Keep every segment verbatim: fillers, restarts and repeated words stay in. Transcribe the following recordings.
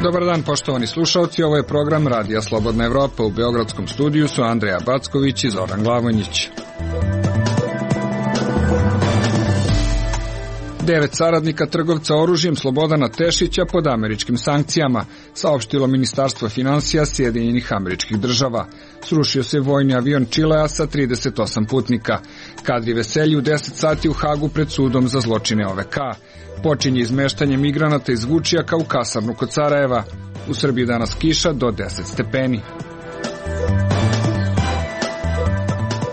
Dobar dan, poštovani slušalci, ovo je program Radija Slobodna Evropa. U beogradskom studiju su Andreja Backović i Zoran Glavonjić. Devet saradnika trgovca oružjem Slobodana Tešića pod američkim sankcijama, saopštilo Ministarstvo finansija Sjedinjenih Američkih Država. Srušio se vojni avion Čilea sa trideset osam putnika. Kadri Veselji u deset sati u Hagu pred sudom za zločine O V K. Počinje izmeštanje migranata iz Vučijaka u kasarnu kod Sarajeva. U Srbiji danas kiša do deset stepeni.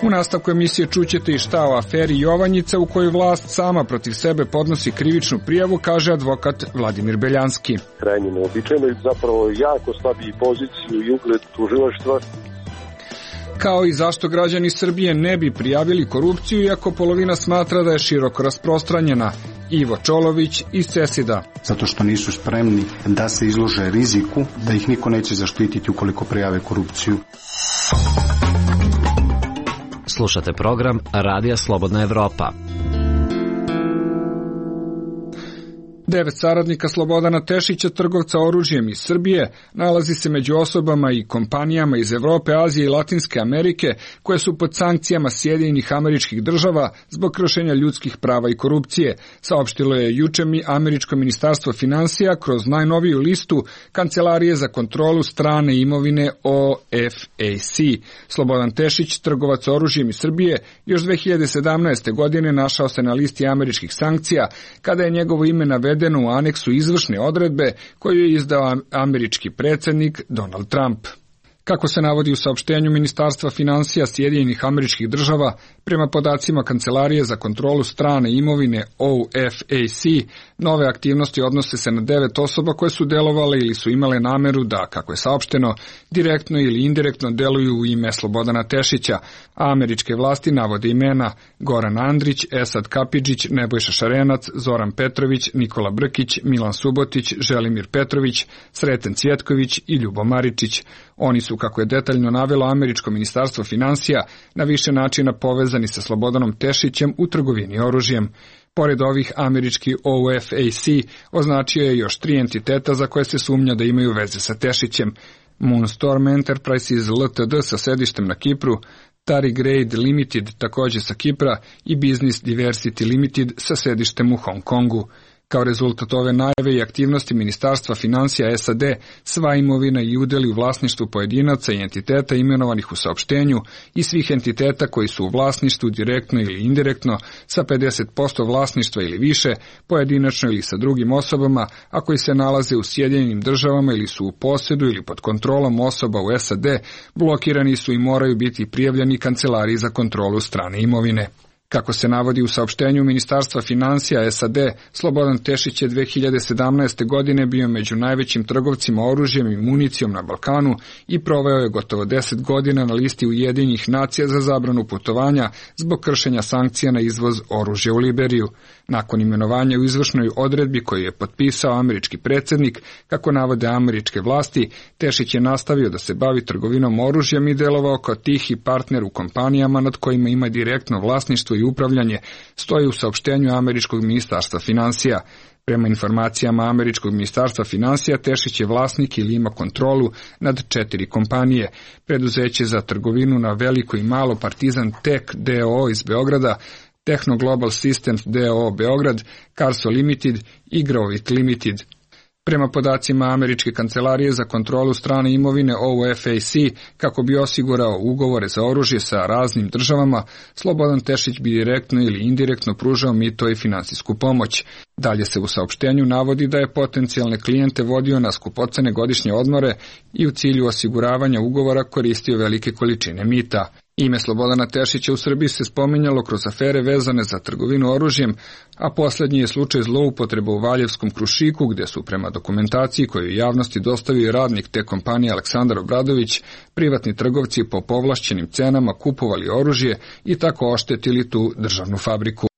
U nastavku emisije čućete i šta o aferi Jovanjica u kojoj vlast sama protiv sebe podnosi krivičnu prijavu, kaže advokat Vladimir Beljanski. Krajnje neobičajno i zapravo jako slabiji poziciju i ugled tužilaštva. Kao i zašto građani Srbije ne bi prijavili korupciju, iako polovina smatra da je široko rasprostranjena. Ivo Čolović iz Cesida. Zato što nisu spremni da se izlože riziku, da ih niko neće zaštititi ukoliko prijave korupciju. Slušate program Radija Slobodna Evropa. Devet saradnika Slobodana Tešića, trgovca oružjem iz Srbije, nalazi se među osobama i kompanijama iz Evrope, Azije i Latinske Amerike koje su pod sankcijama Sjedinjenih Američkih Država zbog kršenja ljudskih prava i korupcije, saopštilo je juče mi američko ministarstvo finansija kroz najnoviju listu Kancelarije za kontrolu strane imovine O F A C. Slobodan Tešić, trgovac oružjem iz Srbije, još dve hiljade sedamnaeste. godine našao se na listi američkih sankcija kada je njegovo ime navedeno u aneksu izvršne odredbe koju je izdao američki predsjednik Donald Trump. Kako se navodi u saopštenju Ministarstva finansija Sjedinjenih Američkih Država, prema podacima Kancelarije za kontrolu strane imovine O F A C, nove aktivnosti odnose se na devet osoba koje su delovale ili su imale nameru da, kako je saopšteno, direktno ili indirektno deluju u ime Slobodana Tešića, a američke vlasti navode imena Goran Andrić, Esad Kapidžić, Nebojša Šarenac, Zoran Petrović, Nikola Brkić, Milan Subotić, Želimir Petrović, Sreten Cvjetković i Ljubo Maričić. Oni su, kako je detaljno navelo američko ministarstvo finansija, na više načina povezani sa Slobodanom Tešićem u trgovini oružjem. Pored ovih, američki O F A C označio je još tri entiteta za koje se sumnja da imaju veze sa Tešićem. Moonstorm Enterprises Ltd sa sedištem na Kipru, Tari Grade Limited također sa Kipra i Business Diversity Limited sa sedištem u Hong Kongu. Kao rezultat ove najave i aktivnosti Ministarstva finansija S A D, sva imovina i udjeli u vlasništvu pojedinaca i entiteta imenovanih u saopštenju i svih entiteta koji su u vlasništvu direktno ili indirektno sa pedeset posto vlasništva ili više, pojedinačno ili sa drugim osobama, a koji se nalaze u Sjedinjenim Državama ili su u posjedu ili pod kontrolom osoba u S A D, blokirani su i moraju biti prijavljeni Kancelariji za kontrolu strane imovine. Kako se navodi u saopštenju Ministarstva finansija S A D, Slobodan Tešić je dve hiljade sedamnaeste. godine bio među najvećim trgovcima oružjem i municijom na Balkanu i proveo je gotovo deset godina na listi Ujedinjenih nacija za zabranu putovanja zbog kršenja sankcija na izvoz oružja u Liberiju. Nakon imenovanja u izvršnoj odredbi koju je potpisao američki predsjednik, kako navode američke vlasti, Tešić je nastavio da se bavi trgovinom oružjem i delovao kao tihi partner u kompanijama nad kojima ima direktno vlasništvo i upravljanje, stoji u saopštenju američkog ministarstva finansija. Prema informacijama američkog ministarstva finansija, Tešić je vlasnik ili ima kontrolu nad četiri kompanije: preduzeće za trgovinu na veliko i malo Partizan Tech D O O iz Beograda, Techno Global Systems D O O Beograd, Carso Limited i Grovit Limited. Prema podacima američke kancelarije za kontrolu strane imovine O F A C, kako bi osigurao ugovore za oružje sa raznim državama, Slobodan Tešić bi direktno ili indirektno pružao mito i finansijsku pomoć. Dalje se u saopštenju navodi da je potencijalne klijente vodio na skupocene godišnje odmore i u cilju osiguravanja ugovora koristio velike količine mita. Ime Slobodana Tešića u Srbiji se spominjalo kroz afere vezane za trgovinu oružjem, a posljednji je slučaj zloupotreba u Valjevskom Krušiku, gdje su prema dokumentaciji koju javnosti dostavio radnik te kompanije Aleksandar Obradović, privatni trgovci po povlašćenim cenama kupovali oružje i tako oštetili tu državnu fabriku.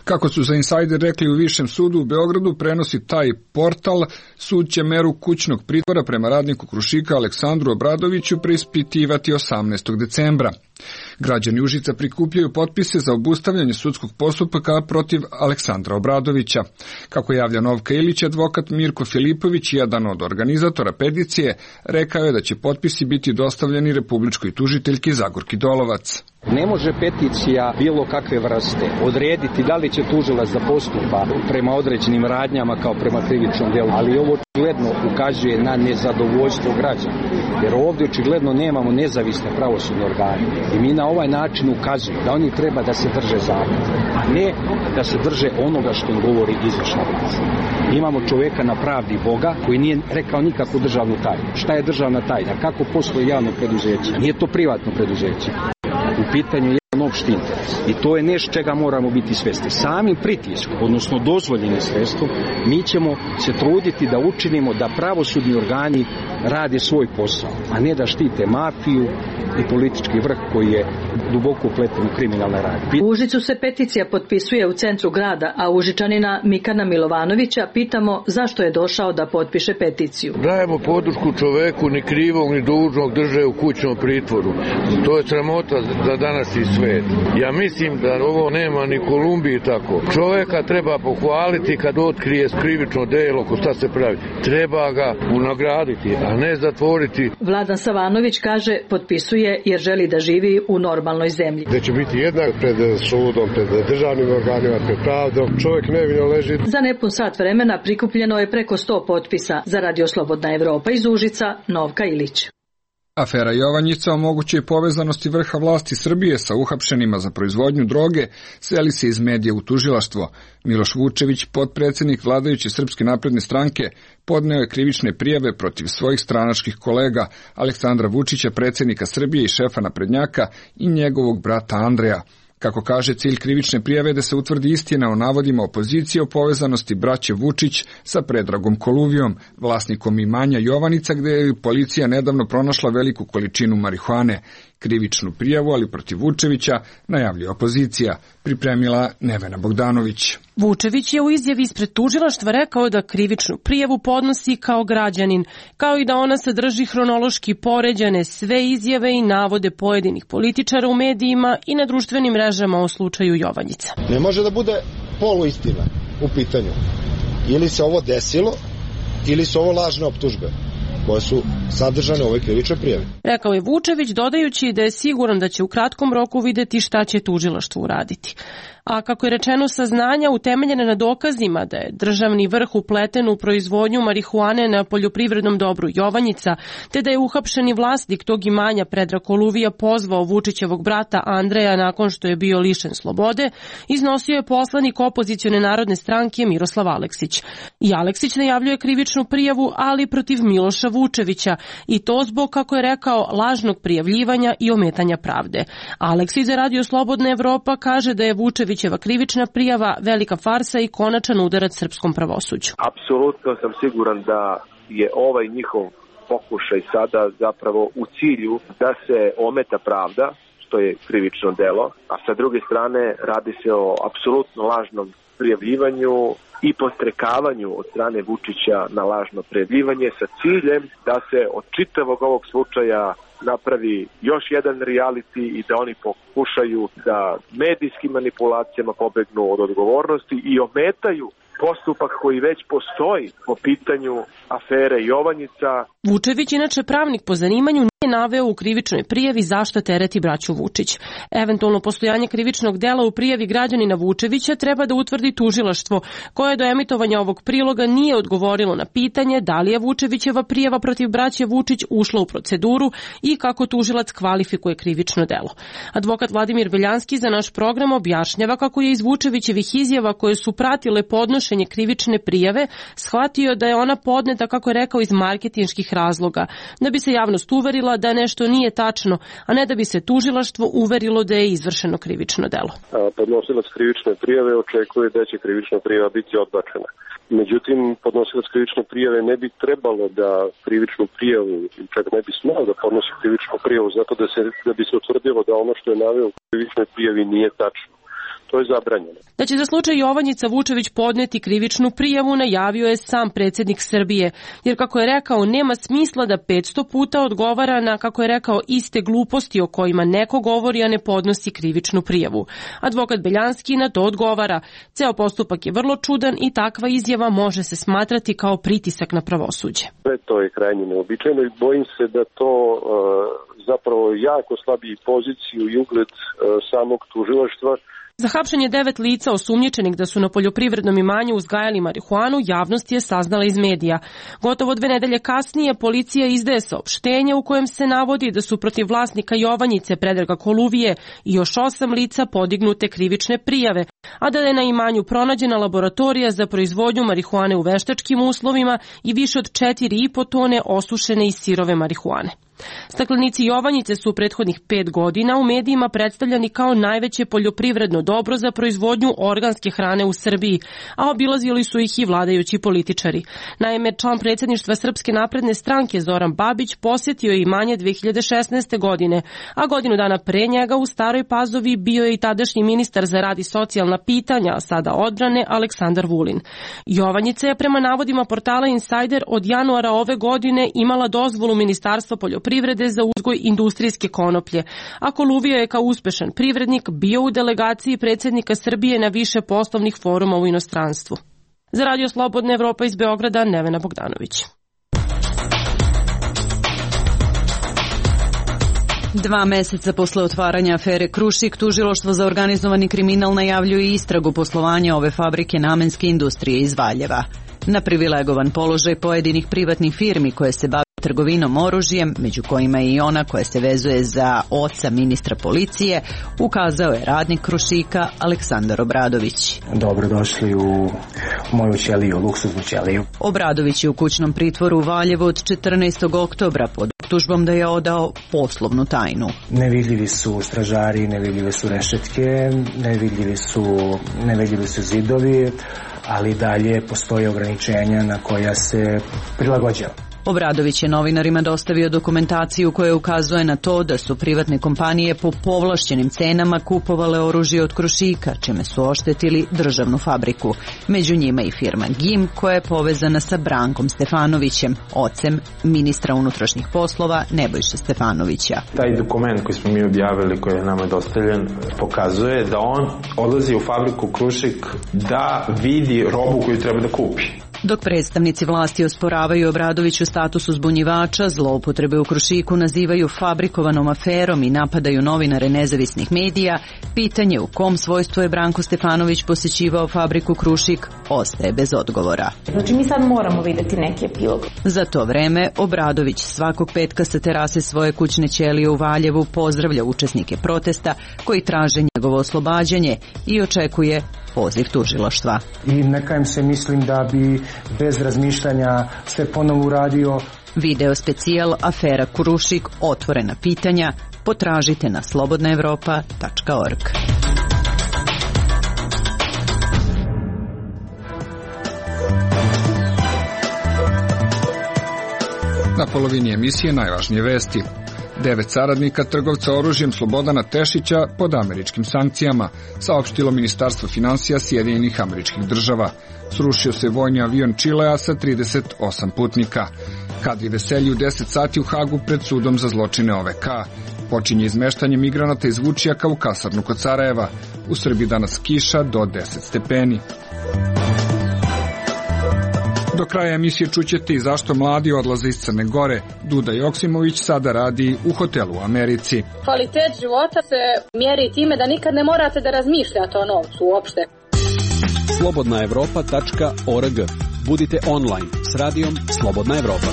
Kako su za Insider rekli u Višem sudu u Beogradu, prenosi taj portal, sud će meru kućnog pritvora prema radniku Krušika Aleksandru Obradoviću preispitivati osamnaestog decembra. Građani Užica prikupljaju potpise za obustavljanje sudskog postupka protiv Aleksandra Obradovića. Kako javlja Novka Ilić, advokat Mirko Filipović, jedan od organizatora peticije, rekao je da će potpisi biti dostavljeni republičkoj tužiteljki Zagorki Dolovac. Ne može peticija bilo kakve vrste odrediti da li će tužilac da postupa prema određenim radnjama kao prema krivičnom delu, ali ovo očigledno ukazuje na nezadovoljstvo građana, jer ovdje očigledno nemamo nezavisne pravosudne organe i mi na ovaj način ukazujemo da oni treba da se drže zakona, a ne da se drže onoga što im govori izvršna vlast. Imamo čoveka na pravdi Boga koji nije rekao nikakvu državnu tajnu. Šta je državna tajna? Kako postoji javno preduzeće? Nije to privatno preduzeće. U pitanju je jedan opšti interes. I to je nešto čega moramo biti svesni. Samim pritiskom, odnosno dozvoljenim sredstvom, mi ćemo se truditi da učinimo da pravosudni organi rade svoj posao, a ne da štite mafiju i politički vrh koji je duboko upleten u kriminalne radnje. U Užicu se peticija potpisuje u centru grada, a Užičanina Mikana Milovanovića pitamo zašto je došao da potpiše peticiju. Dajemo podršku čoveku, ni krivog ni dužnog drže u kućnom pritvoru. To je sramota za današnji svet. Ja mislim da ovo nema ni Kolumbiji tako. Čoveka treba pohvaliti kad otkrije krivično delo, ko šta se pravi. Treba ga unagraditi, a ne zatvoriti. Vladan Savanović kaže potpisuje jer želi da živi u normalnoj zemlji. Da će biti jednak pred sudom, pred državnim organima, pred pravdom. Čovjek nevino leži. Za nepun sat vremena prikupljeno je preko sto potpisa. Za Radio Slobodna Evropa iz Užica, Novka Ilić. Afera Jovanjica o mogućoj povezanosti vrha vlasti Srbije sa uhapšenima za proizvodnju droge seli se iz medija u tužilaštvo. Miloš Vučević, potpredsjednik vladajuće Srpske napredne stranke, podneo je krivične prijave protiv svojih stranačkih kolega Aleksandra Vučića, predsjednika Srbije i šefa naprednjaka, i njegovog brata Andreja. Kako kaže, cilj krivične prijave je da se utvrdi istina o navodima opozicije o povezanosti braće Vučić sa Predragom Koluvijom, vlasnikom imanja Jovanjica, gde je policija nedavno pronašla veliku količinu marihuane. Krivičnu prijavu, ali protiv Vučevića, najavljuje opozicija, pripremila Nevena Bogdanović. Vučević je u izjavi ispred tužilaštva rekao da krivičnu prijavu podnosi kao građanin, kao i da ona sadrži hronološki poređane sve izjave i navode pojedinih političara u medijima i na društvenim mrežama o slučaju Jovanjica. Ne može da bude poluistina u pitanju. Ili se ovo desilo, ili su ovo lažne optužbe koje su sadržane u ovoj krivičnoj prijavi. Rekao je Vučević, dodajući da je siguran da će u kratkom roku videti šta će tužilaštvo uraditi. A kako je rečeno, saznanja utemeljene na dokazima da je državni vrh upleten u proizvodnju marihuane na poljoprivrednom dobru Jovanjica, te da je uhapšeni vlasnik tog imanja Predrag Koluvija pozvao Vučićevog brata Andreja nakon što je bio lišen slobode, iznosio je poslanik opozicione narodne stranke Miroslav Aleksić. I Aleksić najavljuje krivičnu prijavu, ali protiv Miloša Vučevića, i to zbog, kako je rekao, lažnog prijavljivanja i ometanja pravde. Aleksić za Radio Slobodna Evropa kaže da je Vučevićeva krivična prijava velika farsa i konačan udarac srpskom pravosuđu. Apsolutno sam siguran da je ovaj njihov pokušaj sada zapravo u cilju da se ometa pravda, što je krivično delo, a sa druge strane radi se o apsolutno lažnom prijavljivanju i postrekavanju od strane Vučića na lažno prijavljivanje sa ciljem da se od čitavog ovog slučaja napravi još jedan reality i da oni pokušaju da medijskim manipulacijama pobegnu od odgovornosti i ometaju postupak koji već postoji po pitanju afere Jovanjica. Vučević, inače pravnik po zanimanju, nije naveo u krivičnoj prijavi zašto tereti braću Vučić. Eventualno postojanje krivičnog dela u prijavi građanina Vučevića treba da utvrdi tužilaštvo, koje do emitovanja ovog priloga nije odgovorilo na pitanje da li je Vučevićeva prijava protiv braće Vučić ušla u proceduru i kako tužilac kvalifikuje krivično delo. Advokat Vladimir Veljanski za naš program objašnjava kako je iz Vučevićevih izjava koje su pratile podnošenje krivične prijave shvatio da je ona podneta, kako je rekao, iz marketinških razloga, da bi se javnost uverila da nešto nije tačno, a ne da bi se tužilaštvo uverilo da je izvršeno krivično delo. Podnosilac krivične prijave očekuje da će krivična prijava biti odbačena. Međutim, podnosilac krivične prijave ne bi trebalo da krivičnu prijavu, čak ne bi smao da podnosi krivičnu prijavu, zato da, se, da bi se utvrdilo da ono što je naveo u krivičnoj prijavi nije tačno. to je zabranjeno. Da će za slučaj Jovanjica Vučević podneti krivičnu prijavu najavio je sam predsjednik Srbije, jer kako je rekao nema smisla da petsto puta odgovara na, kako je rekao, iste gluposti o kojima neko govori, a ne podnosi krivičnu prijavu. Advokat Beljanski na to odgovara. Ceo postupak je vrlo čudan i takva izjava može se smatrati kao pritisak na pravosuđe. To je krajnje neobičajno i bojim se da to uh, zapravo jako slabi poziciju i ugled uh, samog tužilaštva. Za hapšenje devet lica osumnjičenih da su na poljoprivrednom imanju uzgajali marihuanu, javnost je saznala iz medija. Gotovo dve nedelje kasnije policija izdaje saopštenje u kojem se navodi da su protiv vlasnika Jovanjice Predraga Koluvije i još osam lica podignute krivične prijave, a da je na imanju pronađena laboratorija za proizvodnju marihuane u veštačkim uslovima i više od četiri i po tone osušene i sirove marihuane. Staklenici Jovanjice su u prethodnih pet godina u medijima predstavljani kao najveće poljoprivredno dobro za proizvodnju organske hrane u Srbiji, a obilazili su ih i vladajući političari. Naime, član predsjedništva Srpske napredne stranke Zoran Babić posjetio je imanje dve hiljade šesnaeste. godine, a godinu dana pre njega u Staroj Pazovi bio je i tadašnji ministar za rad i socijalna pitanja, a sada odbrane, Aleksandar Vulin. Jovanjica je prema navodima portala Insider od januara ove godine imala dozvolu Ministarstva poljoprivrede privrede za uzgoj industrijske konoplje, a Koluvija je kao uspešan privrednik bio u delegaciji predsjednika Srbije na više poslovnih foruma u inostranstvu. Za Radio Slobodna Evropa iz Beograda, Nevena Bogdanović. Dva meseca posle otvaranja afere Krušik, tužilaštvo za organizovani kriminal najavljuje istragu poslovanja ove fabrike namenske industrije iz Valjeva. Na privilegovan položaj pojedinih privatnih firmi koje se bave trgovinom oružjem, među kojima je i ona koja se vezuje za oca ministra policije, ukazao je radnik Krušika Aleksandar Obradović. Dobrodošli u moju ćeliju, luksuznu ćeliju. Obradović je u kućnom pritvoru u Valjevu od četrnaestog oktobra pod optužbom da je odao poslovnu tajnu. Nevidljivi su stražari, nevidljive su rešetke, nevidljivi su, nevidljivi su zidovi, ali dalje postoje ograničenja na koja se prilagođava. Obradović je novinarima dostavio dokumentaciju koja ukazuje na to da su privatne kompanije po povlašćenim cenama kupovale oružje od Krušika, čime su oštetili državnu fabriku. Među njima i firma G I M koja je povezana sa Brankom Stefanovićem, ocem ministra unutrašnjih poslova Nebojše Stefanovića. Taj dokument koji smo mi objavili, koji je nama dostavljen, pokazuje da on odlazi u fabriku Krušik da vidi robu koju treba da kupi. Dok predstavnici vlasti osporavaju Obradoviću status uzbunjivača, zloupotrebe u Krušiku nazivaju fabrikovanom aferom i napadaju novinare nezavisnih medija, pitanje u kom svojstvu je Branko Stefanović posjećivao fabriku Krušik ostaje bez odgovora. Znači mi sad moramo vidjeti neki epilog. Za to vreme Obradović svakog petka sa terase svoje kućne ćelije u Valjevu pozdravlja učesnike protesta koji traže njegovo oslobađanje i očekuje poziv tužilaštva. I neka im se mislim da bi bez razmišljanja sve ponovo uradio. Video specijal Afera Krušik, otvorena pitanja, potražite na slobodna evropa tačka org. Na polovini emisije najvažnije vesti. Devet saradnika trgovca oružjem Slobodana Tešića pod američkim sankcijama, saopštilo Ministarstvo finansija Sjedinjenih Američkih Država. Srušio se vojni avion Čilea sa trideset osam putnika. Kadri veselji u deset sati u Hagu pred sudom za zločine O V K. Počinje izmeštanje migranata iz Vučijaka u kasarnu kod Sarajeva. U Srbiji danas kiša do deset stepeni. Do kraja emisije čućete i zašto mladi odlaze iz Crne Gore. Duda Joksimović sada radi u hotelu u Americi. Kvalitet života se mjeri time da nikad ne morate da razmišljate o novcu uopšte. slobodna evropa tačka org. Budite online s radijom Slobodna Evropa.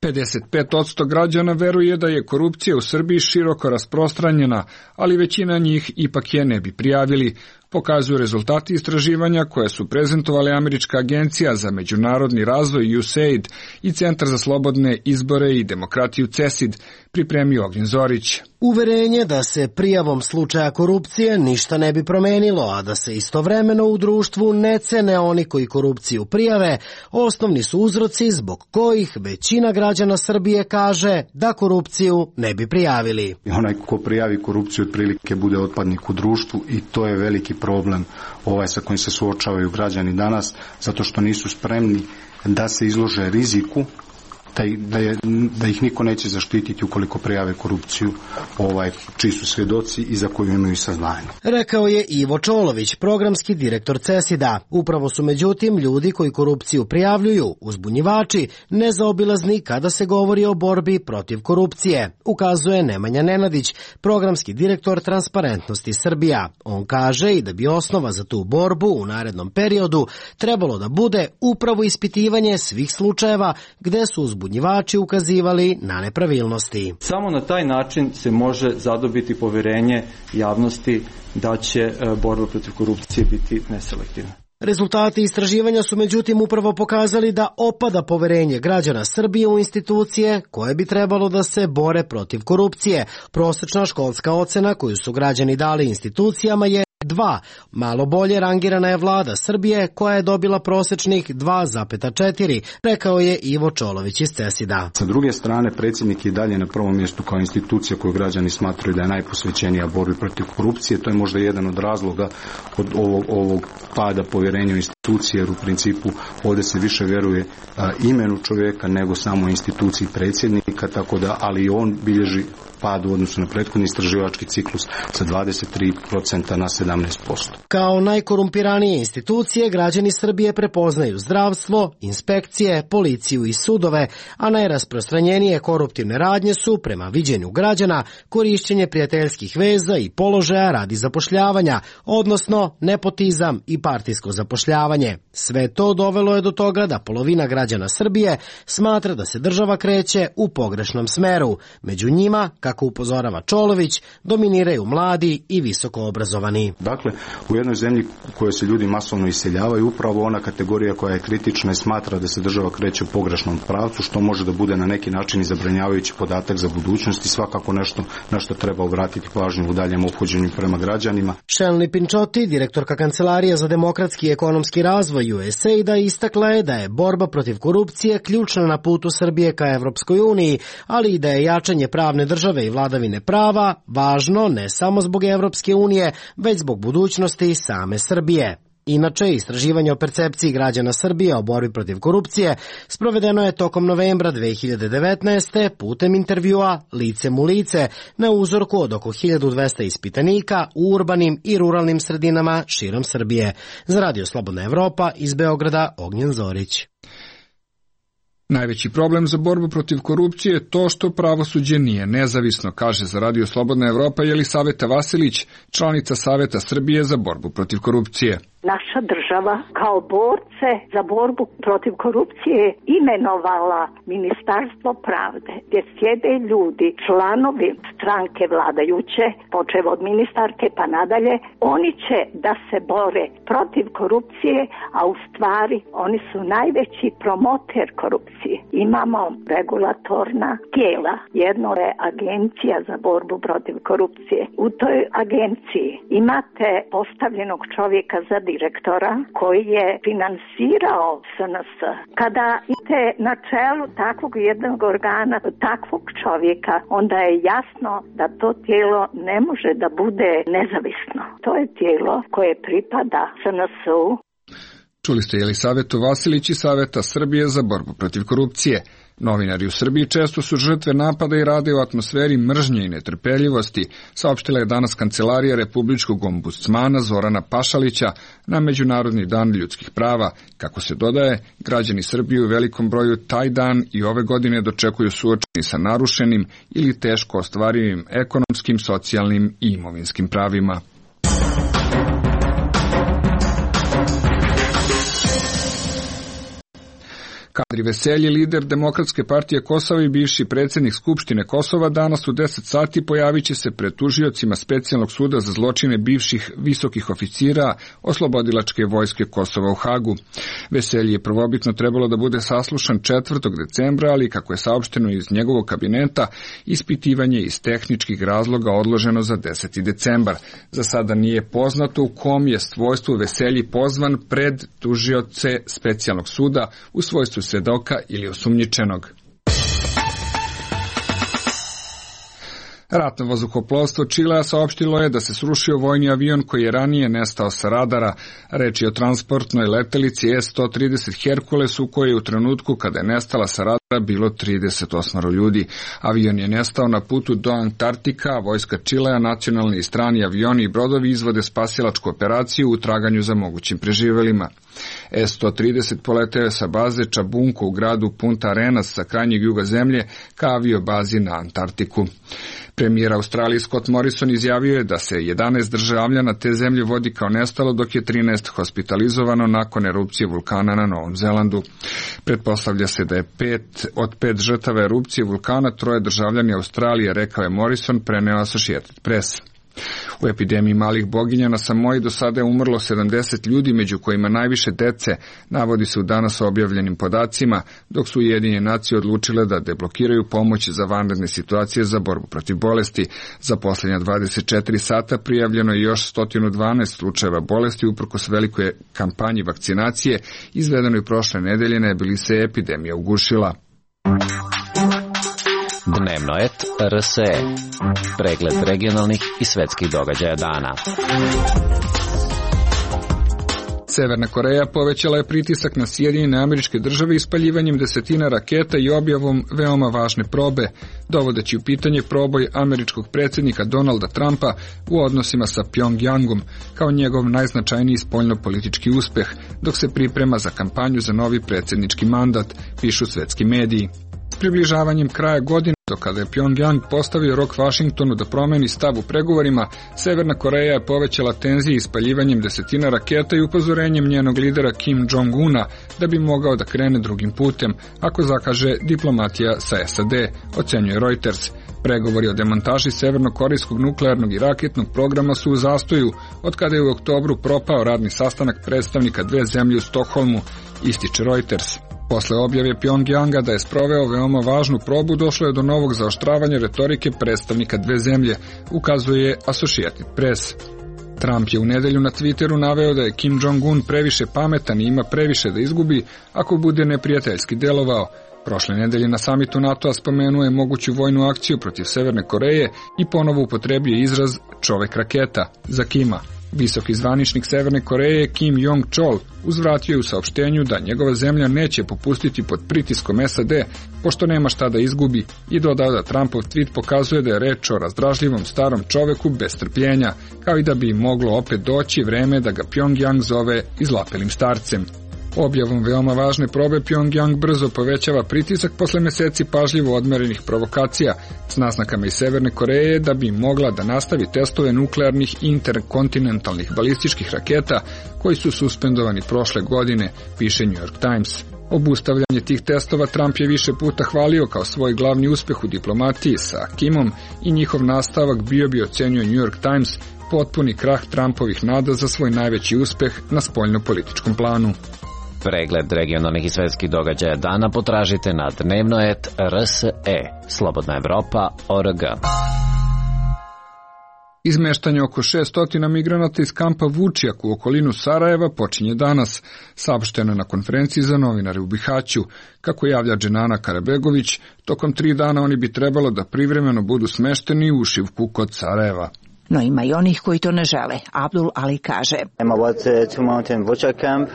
pedeset pet posto građana veruje da je korupcija u Srbiji široko rasprostranjena, ali većina njih ipak je ne bi prijavili. pokazuju rezultati istraživanja koje su prezentovali Američka agencija za međunarodni razvoj U S A I D i Centar za slobodne izbore i demokratiju C E S I D, pripremio Ognjen Zorić. Uverenje da se prijavom slučaja korupcije ništa ne bi promenilo, a da se istovremeno u društvu ne cene oni koji korupciju prijave, osnovni su uzroci zbog kojih većina građana Srbije kaže da korupciju ne bi prijavili. Onaj ko prijavi korupciju otprilike bude otpadnik u društvu i to je veliki problem ovaj sa kojim se suočavaju građani danas, zato što nisu spremni da se izlože riziku Da, da, je, da ih niko neće zaštititi ukoliko prijave korupciju, ovaj, čiji su svjedoci i za koju imaju saznanje. Rekao je Ivo Čolović, programski direktor C E S I D-a. Upravo su međutim ljudi koji korupciju prijavljuju, uzbunjivači, nezaobilazni kada se govori o borbi protiv korupcije, ukazuje Nemanja Nenadić, programski direktor Transparentnosti Srbija. On kaže i da bi osnova za tu borbu u narednom periodu trebalo da bude upravo ispitivanje svih slučajeva gde su uzbunjivači uzbunjivači ukazivali na nepravilnosti. Samo na taj način se može zadobiti poverenje javnosti da će borba protiv korupcije biti neselektivna. Rezultati istraživanja su međutim upravo pokazali da opada poverenje građana Srbije u institucije koje bi trebalo da se bore protiv korupcije. Prosečna školska ocena koju su građani dali institucijama je dva. Malo bolje rangirana je vlada Srbije koja je dobila prosečnih dva zarez četiri, rekao je Ivo Čolović iz C E S I D-a. Sa druge strane, predsjednik je dalje na prvom mjestu kao institucija koju građani smatraju da je najposvećenija borbi protiv korupcije. To je možda jedan od razloga od ovog, ovog pada povjerenja u institucije, jer u principu ovdje se više vjeruje a, imenu čovjeka nego samo instituciji predsjednika, tako da, ali i on bilježi pad u odnosu na prethodni istraživački ciklus sa dvadeset tri procenta na sedamnaest posto. Kao najkorumpiranije institucije građani Srbije prepoznaju zdravstvo, inspekcije, policiju i sudove, a najrasprostranjenije koruptivne radnje su, prema viđenju građana, korišćenje prijateljskih veza i položaja radi zapošljavanja, odnosno nepotizam i partijsko zapošljavanje. Sve to dovelo je do toga da polovina građana Srbije smatra da se država kreće u pogrešnom smeru. Među njima, kako upozorava Čolović, dominiraju mladi i visoko obrazovani. Dakle, u jednoj zemlji u kojoj se ljudi masovno iseljavaju, upravo ona kategorija koja je kritična i smatra da se država kreće u pogrešnom pravcu, što može da bude na neki način i zabrinjavajući podatak za budućnost i svakako nešto na što treba obratiti pažnju u daljem ophođenju prema građanima. Shelly Pinčoti, direktorka Kancelarije za demokratski i ekonomski razvoj U S A I D-a, istakla je da je borba protiv korupcije ključna na putu Srbije ka Evropskoj uniji, ali i da je jačanje pravne države i vladavine prava važno ne samo zbog Evropske unije, već zbog budućnosti same Srbije. Inače, istraživanje o percepciji građana Srbije o borbi protiv korupcije sprovedeno je tokom novembra dve hiljade devetnaeste. putem intervjua licem u lice na uzorku od oko hiljadu dvesta ispitanika u urbanim i ruralnim sredinama širom Srbije. Za Radio Slobodna Evropa iz Beograda, Ognjen Zorić. Najveći problem za borbu protiv korupcije je to što pravosuđe nije nezavisno, kaže za Radio Slobodna Evropa Jelisaveta Vasilić, članica Saveta Srbije za borbu protiv korupcije. Naša država kao borce za borbu protiv korupcije imenovala Ministarstvo pravde, gdje sjede ljudi, članovi stranke vladajuće, počev od ministarke pa nadalje. Oni će da se bore protiv korupcije, a u stvari oni su najveći promoter korupcije. Imamo regulatorna tijela. Jedno je Agencija za borbu protiv korupcije. U toj agenciji imate postavljenog čovjeka za direktora koji je finansirao S N S. Kada idete na čelu takvog jednog organa, takvog čovjeka, onda je jasno da to tijelo ne može da bude nezavisno. To je tijelo koje pripada S N S-u. Čuli ste Jelisavetu Vasilić iz Saveta Srbije za borbu protiv korupcije. Novinari u Srbiji često su žrtve napada i rade u atmosferi mržnje i netrpeljivosti, saopštila je danas Kancelarija Republičkog ombudsmana Zorana Pašalića na Međunarodni dan ljudskih prava. Kako se dodaje, građani Srbije u velikom broju taj dan i ove godine dočekuju suočeni sa narušenim ili teško ostvarivim ekonomskim, socijalnim i imovinskim pravima. Kadri Veselji, lider Demokratske partije Kosova i bivši predsjednik Skupštine Kosova, danas u deset sati pojavit će se pred tužiocima Specijalnog suda za zločine bivših visokih oficira Oslobodilačke vojske Kosova u Hagu. Veselji je prvobitno trebalo da bude saslušan četvrtog decembra, ali kako je saopšteno iz njegovog kabineta, ispitivanje iz tehničkih razloga odloženo za deseti decembar. Za sada nije poznato u kom je svojstvu Veselji pozvan pred tužioce Specijalnog suda u svojstvu svedoka ili osumnjičenog. Ratno vazduhoplovstvo Čilea saopštilo je da se srušio vojni avion koji je ranije nestao sa radara. Reč je o transportnoj letelici S sto trideset Hercules u kojoj je u trenutku kada je nestala sa radara bilo trideset osam ljudi. Avion je nestao na putu do Antarktika, a vojska Čilea, nacionalni i strani avioni i brodovi izvode spasilačku operaciju u traganju za mogućim preživelima. S sto trideset poleteo je sa baze Čabunko u gradu Punta Arenas sa krajnjeg juga zemlje ka aviobazi na Antarktiku. Premijer Australije Scott Morrison izjavio je da se jedanaest državljana te zemlje vodi kao nestalo, dok je trinaest hospitalizovano nakon erupcije vulkana na Novom Zelandu. Pretpostavlja se da je pet od pet žrtava erupcije vulkana troje državljani Australije, rekao je Morrison, preneo Associated Press. U epidemiji malih boginja na Samoji do sada je umrlo sedamdeset ljudi, među kojima najviše dece, navodi se u danas objavljenim podacima, dok su Ujedinjene nacije odlučile da deblokiraju pomoć za vanredne situacije za borbu protiv bolesti. Za posljednja dvadeset četiri sata prijavljeno je još sto dvanaest slučajeva bolesti uprkos velikoj kampanji vakcinacije izvedenoj prošle nedelje, ne bi li se epidemija ugušila. Dnevno et R S E. Pregled regionalnih i svetskih događaja dana. Severna Koreja povećala je pritisak na Sjedinjene Američke Države ispaljivanjem desetina raketa i objavom veoma važne probe, dovodeći u pitanje proboj američkog predsjednika Donalda Trumpa u odnosima sa Pjongjangom kao njegov najznačajniji spoljnopolitički uspeh, dok se priprema za kampanju za novi predsjednički mandat, pišu svetski mediji. S približavanjem kraja godine, do kada je Pjongjang postavio rok Vašingtonu da promeni stav u pregovorima, Severna Koreja je povećala tenzije ispaljivanjem desetina raketa i upozorenjem njenog lidera Kim Jong-una da bi mogao da krene drugim putem, ako zakaže diplomatija sa S A D, ocenjuje Reuters. Pregovori o demontaži severnokorejskog nuklearnog i raketnog programa su u zastoju, od kada je u oktobru propao radni sastanak predstavnika dve zemlje u Stokholmu, ističe Reuters. Posle objave Pjongjanga da je sproveo veoma važnu probu, došlo je do novog zaoštravanja retorike predstavnika dve zemlje, ukazuje Associated Press. Trump je u nedelju na Twitteru naveo da je Kim Jong-un previše pametan i ima previše da izgubi ako bude neprijateljski delovao. Prošle nedelje na samitu NATO-a spomenuo je moguću vojnu akciju protiv Severne Koreje i ponovo upotrebio izraz čovek raketa za Kima. Visoki zvaničnik Severne Koreje Kim Jong-chol uzvratio je u saopštenju da njegova zemlja neće popustiti pod pritiskom S A D, pošto nema šta da izgubi, i dodao da Trumpov tweet pokazuje da je reč o razdražljivom starom čoveku bez strpljenja, kao i da bi moglo opet doći vreme da ga Pjongjang zove izlapelim starcem. Objavom veoma važne probe Pjongjang brzo povećava pritisak posle meseci pažljivo odmerenih provokacija s naznakama iz Severne Koreje da bi mogla da nastavi testove nuklearnih interkontinentalnih balističkih raketa koji su suspendovani prošle godine, piše New York Times. Obustavljanje tih testova Trump je više puta hvalio kao svoj glavni uspeh u diplomatiji sa Kimom i njihov nastavak bio bi, ocenjuje New York Times, potpuni krah Trumpovih nada za svoj najveći uspeh na spoljnopolitičkom planu. Pregled regionalnih i svetskih događaja dana potražite na dnevno et R S E. Slobodna Evropa точка org. Izmeštanje oko šesto migranata iz kampa Vučjak u okolinu Sarajeva počinje danas, saopšteno na konferenciji za novinare u Bihaću. Kako javlja Dženana Karabegović, tokom tri dana oni bi trebalo da privremeno budu smešteni u Šivku kod Sarajeva. No ima i onih koji to ne žele. Abdul Ali kaže: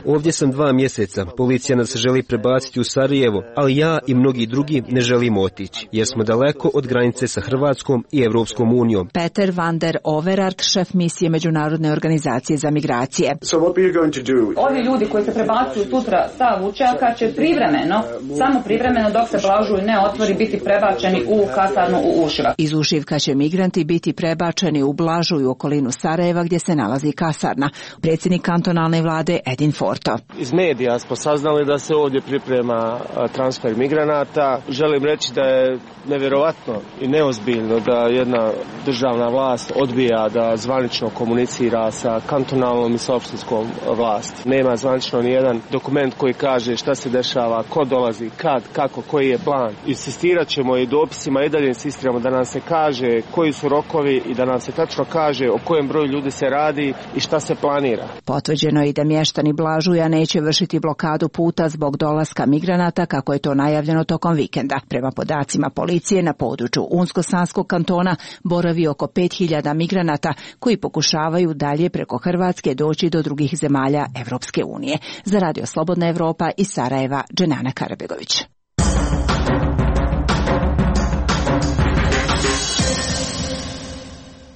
Ovdje sam dva mjeseca. Policija nas želi prebaciti u Sarajevo, ali ja i mnogi drugi ne želimo otići, jer smo daleko od granice sa Hrvatskom i Evropskom unijom. Peter van der Overart, šef misije Međunarodne organizacije za migracije. Ovi ljudi koji se prebacuju sutra sa Vučjaka će privremeno, samo privremeno dok se Blažuj ne otvori, biti prebačeni u kasarnu u Ušivak. Iz Ušivka će migranti biti prebačeni u Blažu i okolinu Sarajeva gdje se nalazi kasarna. Predsjednik kantonalne vlade Edin Forto. Iz medija smo saznali da se ovdje priprema transfer migranata. Želim reći da je nevjerovatno i neozbiljno da jedna državna vlast odbija da zvanično komunicira sa kantonalnom i sa opštinskom vlasti. Nema zvanično ni jedan dokument koji kaže šta se dešava, ko dolazi, kad, kako, koji je plan. Insistirat ćemo i dopisima i dalje insistiramo da nam se kaže koji su rokovi i da nam se tačno kaže o kojem broju ljudi se radi i šta se planira. Potvrđeno je i da mještani Blažuja neće vršiti blokadu puta zbog dolaska migranata kako je to najavljeno tokom vikenda. Prema podacima policije na području Unsko-Sanskog kantona boravi oko pet hiljada migranata koji pokušavaju dalje preko Hrvatske doći do drugih zemalja Evropske unije. Za Radio Slobodna Evropa iz Sarajeva, Dženana Karabegović.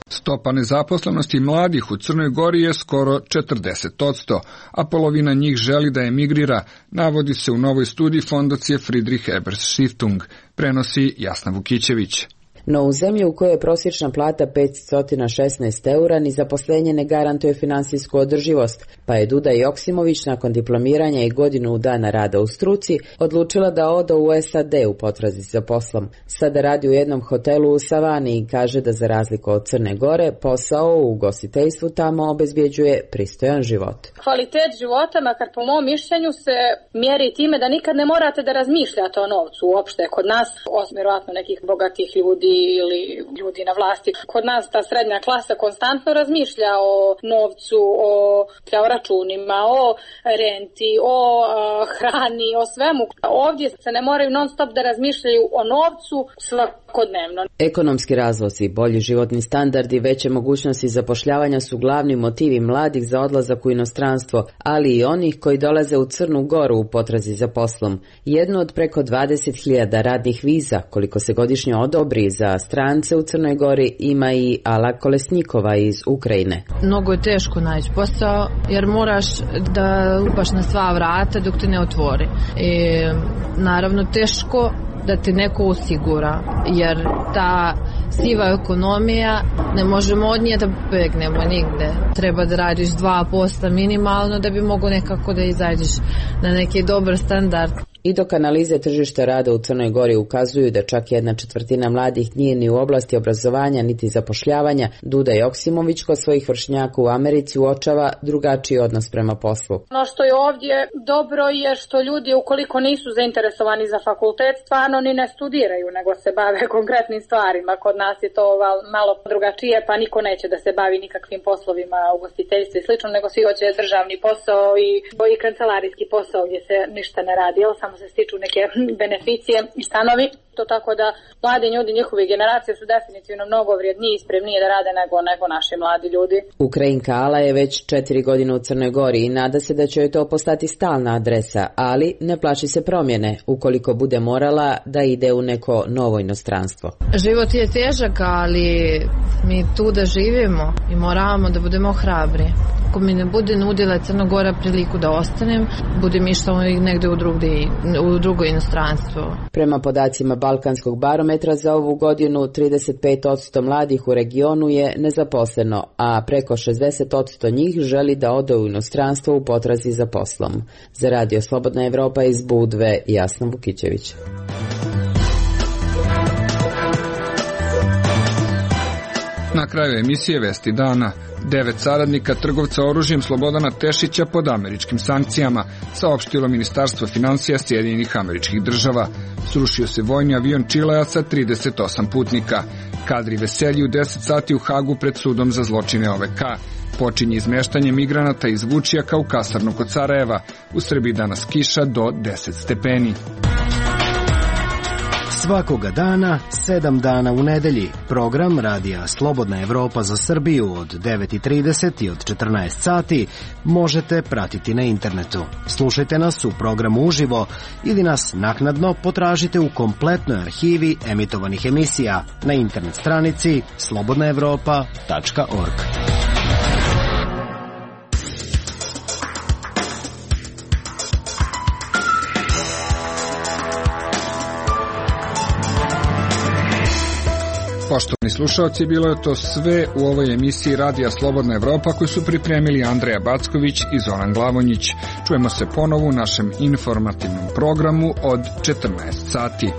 Stopa nezaposlenosti mladih u Crnoj Gori je skoro četrdeset posto, a polovina njih želi da emigrira, navodi se u novoj studiji fondacije Friedrich Ebert Stiftung, prenosi Jasna Vukićević. No u zemlji u kojoj je prosječna plata petsto šesnaest eura ni zaposlenje ne garantuje finansijsku održivost, pa je Duda Joksimović nakon diplomiranja i godinu dana rada u struci odlučila da ode u S A D u potrazi za poslom. Sada radi u jednom hotelu u Savani i kaže da za razliku od Crne Gore posao u ugostiteljstvu tamo obezbjeđuje pristojan život. Kvalitet života, makar po mom mišljenju, se mjeri time da nikad ne morate da razmišljate o novcu uopšte. Kod nas, osim vjerojatno nekih bogatih ljudi ili ljudi na vlasti. Kod nas ta srednja klasa konstantno razmišlja o novcu, o računima, o renti, o uh, hrani, o svemu. Ovdje se ne moraju non stop da razmišljaju o novcu svakodnevno. Ekonomski razlozi, bolji životni standardi i veće mogućnosti zapošljavanja su glavni motivi mladih za odlazak u inostranstvo, ali i onih koji dolaze u Crnu Goru u potrazi za poslom. Jedno od preko dvadeset hiljada radnih viza, koliko se godišnje odobri za strance u Crnoj Gori, ima i Ala Kolesnikova iz Ukrajine. Mnogo je teško naći posao jer moraš da lupaš na sva vrata dok te ne otvori. I naravno teško da te neko osigura, jer ta siva ekonomija ne možemo od nje da begnemo nigde. Treba da radiš dva posla minimalno da bi mogo nekako da izađeš na neki dobar standard. I dok analize tržišta rada u Crnoj Gori ukazuju da čak jedna četvrtina mladih nije ni u oblasti obrazovanja niti zapošljavanja, Duda Joksimović kod svojih vršnjaka u Americi uočava drugačiji odnos prema poslu. Ono što je ovdje dobro je što ljudi ukoliko nisu zainteresovani za fakultet stvarno ni ne studiraju nego se bave konkretnim stvarima. Kod nas je to malo drugačije pa niko neće da se bavi nikakvim poslovima ugostiteljstva i slično nego svi hoće državni posao i, i kancelarijski posao gdje se ništa ne radi, jel samo se stiču neke beneficije i stanovi. To tako da mladi ljudi, njihove generacije su definitivno mnogo vrijedniji i spremnije da rade nego, nego naši mladi ljudi. Ukrajinka Ala je već četiri godine u Crnoj Gori i nada se da će joj to postati stalna adresa, ali ne plaši se promjene ukoliko bude morala da ide u neko novo inostranstvo. Život je težak, ali mi tu da živimo i moramo da budemo hrabri. Ako mi ne bude nudila Crna Gora priliku da ostanem, budem išla negde u, drugde, u drugo inostranstvo. Prema podacima Balkanskog barometra za ovu godinu trideset pet posto mladih u regionu je nezaposleno, a preko šezdeset posto njih želi da ode u inostranstvo u potrazi za poslom. Za Radio Slobodna Evropa iz Budve, Jasna Vukićević. Na kraju emisije Vesti dana. Devet saradnika trgovca oružjem Slobodana Tešića pod američkim sankcijama, saopštilo Ministarstvo financija Sjedinjenih Američkih Država. Srušio se vojni avion Čilea sa trideset osam putnika. Kadri Veselji u deset sati u Hagu pred sudom za zločine O V K. Počinje izmeštanje migranata iz Vučjaka u kasarnu kod Sarajeva. U Srbiji danas kiša do deset stepeni. Svakoga dana, sedam dana u nedelji, program Radija Slobodna Evropa za Srbiju od devet i trideset i od četrnaest sati možete pratiti na internetu. Slušajte nas u programu uživo ili nas naknadno potražite u kompletnoj arhivi emitovanih emisija na internet stranici slobodna evropa tačka org. Poštovani slušalci, bilo je to sve u ovoj emisiji Radija Slobodna Evropa koju su pripremili Andreja Backović i Zoran Glavonjić. Čujemo se ponovo u našem informativnom programu od četrnaest sati.